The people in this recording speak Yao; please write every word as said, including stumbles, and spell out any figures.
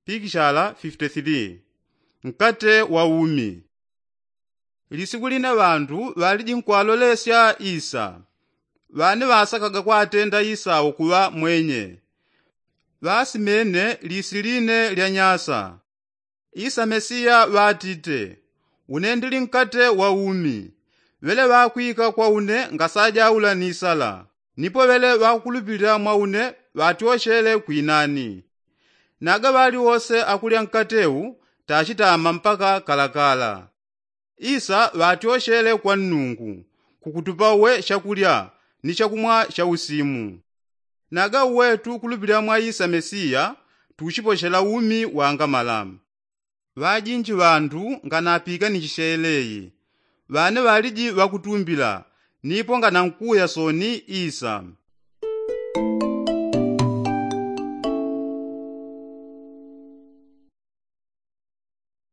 Pikishala fifite thili. Nkate wa umi. Lisiku line ŵandu ŵaliji nkwalolesya isa. Ŵane ŵasakaga kwatenda isa wo kuŵa mwenye. Ŵasimene lisi line lya nyasa. Isa mesiya ŵatite, une ndili nkate wa umi. Ŵele ŵakwika kwa une ngasajaula ni sala. Nipo ŵele ŵakukulupilila mwa une ŵatyoshele kwinani. Naga ŵali wose akulya nkate u tachitama mpaka kalakala. Isa ŵatyoshele kwa nnungu, kukutupa uwe shakulya ni shakumwa sha usimu. Naga uwe tukulupilila mwa isa mesiya, tuchiposhela umi wangamala. Ŵajinji ŵandu nganapikanishi sheleyi. Ŵane ŵaliji ŵakutumbila, nipo nganankuya soni isa.